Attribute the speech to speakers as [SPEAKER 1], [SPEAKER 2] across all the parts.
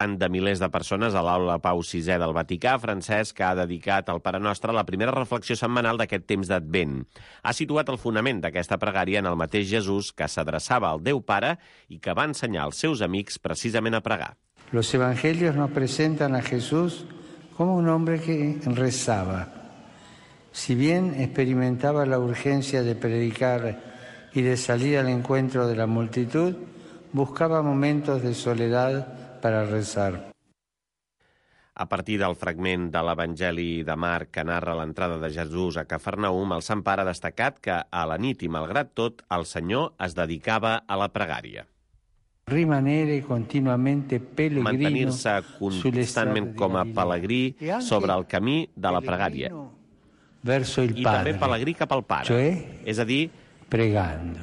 [SPEAKER 1] de milers de persones a l'aula Pau VI del Vaticà, Francesc ha dedicat al Pare Nostre la primera reflexió setmanal d'aquest temps d'Advent. Ha situat el fonament d'aquesta pregària en el mateix Jesús que s'adreçava al Déu Pare i que va ensenyar als seus amics precisament a pregar.
[SPEAKER 2] Los evangelios nos presentan a Jesús como un hombre que rezaba. Si bien experimentaba la urgencia de predicar y de salir al encuentro de la multitud, buscaba momentos de soledad para rezar.
[SPEAKER 1] A partir del fragment de l'Evangeli de Marc que narra l'entrada de Jesús a Cafarnaum, el Sant Pare ha destacat que a la nit i malgrat tot, el Senyor es dedicava a la pregària.
[SPEAKER 2] Rimanere continuamente pellegrino,
[SPEAKER 1] mantenir-se constantment com a pelegrí sobre el camí de la pregària.
[SPEAKER 2] Verso il
[SPEAKER 1] I
[SPEAKER 2] Padre,
[SPEAKER 1] també pelegrí cap al Pare, és a dir, pregant.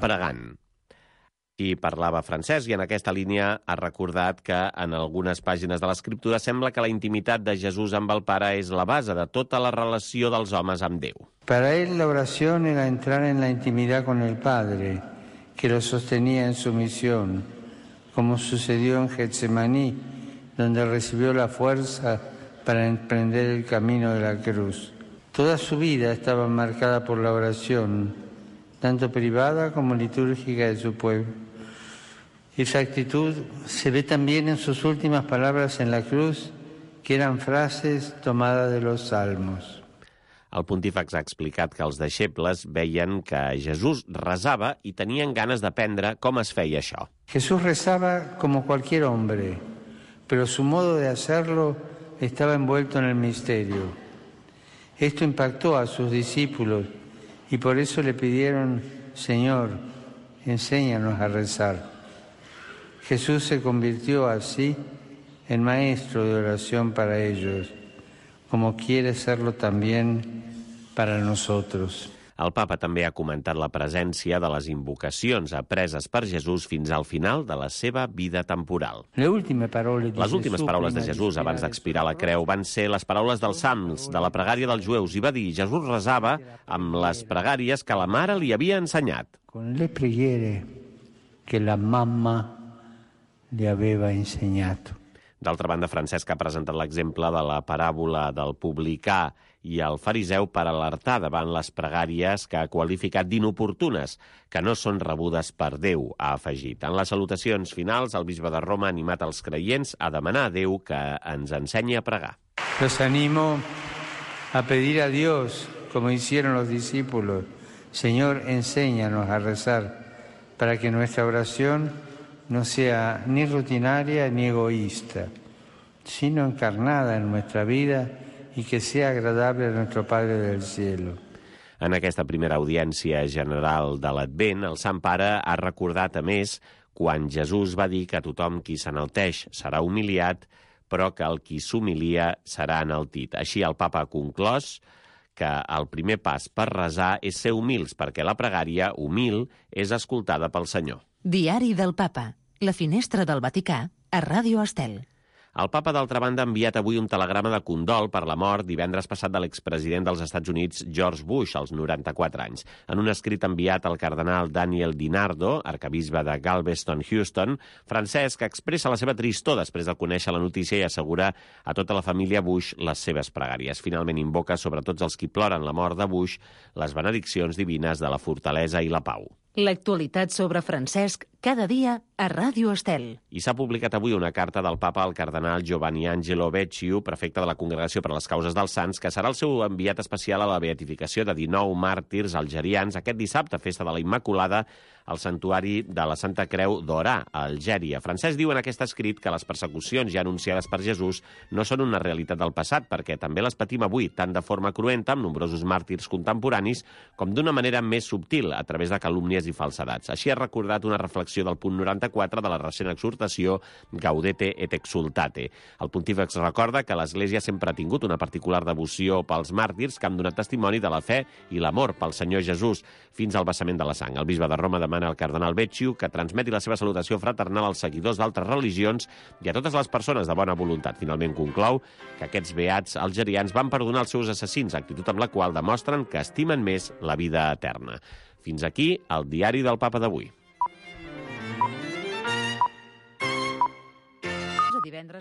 [SPEAKER 1] I parlava Francesc, i en aquesta línia ha recordat que en algunes pàgines de l'Escriptura sembla que la intimitat de Jesús amb el Pare és la base de tota la relació dels homes amb Déu.
[SPEAKER 2] Para él la oración era entrar en la intimidad con el Padre, que lo sostenía en su misión, como sucedió en Getsemaní, donde recibió la fuerza para emprender el camino de la cruz. Toda su vida estaba marcada por la oración, tanto privada como litúrgica de su pueblo. Esa actitud se ve también en sus últimas palabras en la cruz, que eran frases tomadas de los salmos.
[SPEAKER 1] El pontífex ha explicat que els deixebles veien que Jesús resava i tenien ganes d'aprendre com es feia això.
[SPEAKER 2] Jesús rezaba como cualquier hombre, pero su modo de hacerlo estaba envuelto en el misterio. Esto impactó a sus discípulos y por eso le pidieron: Señor, enséñanos a rezar. Jesús se convirtió así en maestro de oración para ellos, como quiere serlo también para nosotros.
[SPEAKER 1] El papa també ha comentat la presència de les invocacions apreses per Jesús fins al final de la seva vida temporal. Les últimes paraules de Jesús abans d'expirar la creu van ser les paraules dels Salms, de la pregària dels jueus, i va dir: Jesús resava amb les pregàries que la mare li havia ensenyat.
[SPEAKER 2] Con le preghiere que la mamma li aveva insegnato.
[SPEAKER 1] D'altra banda, Francesc ha presentat l'exemple de la paràbola del publicà i el fariseu per alertar davant les pregàries que ha qualificat d'inoportunes, que no són rebudes per Déu, ha afegit. En les salutacions finals, el bisbe de Roma ha animat els creients a demanar a Déu que ens ensenyi a pregar.
[SPEAKER 2] Los animo a pedir a Dios, como hicieron los discípulos: Señor, enséñanos a rezar, para que nuestra oración no sea ni rutinaria ni egoísta, sino encarnada en nuestra vida y que sea agradable a nuestro Padre del cielo.
[SPEAKER 1] En aquesta primera audiència general de l'Advent, el Sant Pare ha recordat, a més, quan Jesús va dir que tothom qui s'enalteix serà humiliat, però que el qui s'humilia serà enaltit. Així, el papa ha conclòs que el primer pas per resar és ser humils, perquè la pregària, humil, és escoltada pel Senyor.
[SPEAKER 3] Diari del Papa. La finestra del Vaticà a Ràdio Estel.
[SPEAKER 1] El papa, d'altra banda, ha enviat avui un telegrama de condol per la mort divendres passat de l'expresident dels Estats Units, George Bush, als 94 anys. En un escrit enviat al cardenal Daniel DiNardo, arcabisbe de Galveston, Houston, Francesc expressa la seva tristor després de conèixer la notícia i assegura a tota la família Bush les seves pregàries. Finalment invoca sobre tots els qui ploren la mort de Bush les benediccions divines de la fortalesa i la pau.
[SPEAKER 3] L'actualitat sobre Francesc cada dia a Ràdio Estel.
[SPEAKER 1] I s'ha publicat avui una carta del papa al cardenal Giovanni Angelo Becciu, prefecte de la Congregació per a les Causes dels Sants, que serà el seu enviat especial a la beatificació de 19 màrtirs algerians aquest dissabte, festa de la Immaculada, al santuari de la Santa Creu d'Orà, a Algèria. Francesc diu en aquest escrit que les persecucions ja anunciades per Jesús no són una realitat del passat, perquè també les patim avui, tant de forma cruenta, amb nombrosos màrtirs contemporanis, com d'una manera més subtil, a través de calúmnies i falsedats. Així ha recordat una reflexió del punt 94 de la recent exhortació Gaudete et exultate. El pontífex recorda que l'Església sempre ha tingut una particular devoció pels màrtirs que han donat testimoni de la fe i l'amor pel Senyor Jesús fins al vessament de la sang. El bisbe de Roma demana al cardenal Becciu que transmeti la seva salutació fraternal als seguidors d'altres religions i a totes les persones de bona voluntat. Finalment conclou que aquests beats algerians van perdonar els seus assassins, actitud amb la qual demostren que estimen més la vida eterna. Fins aquí el diari del Papa d'avui.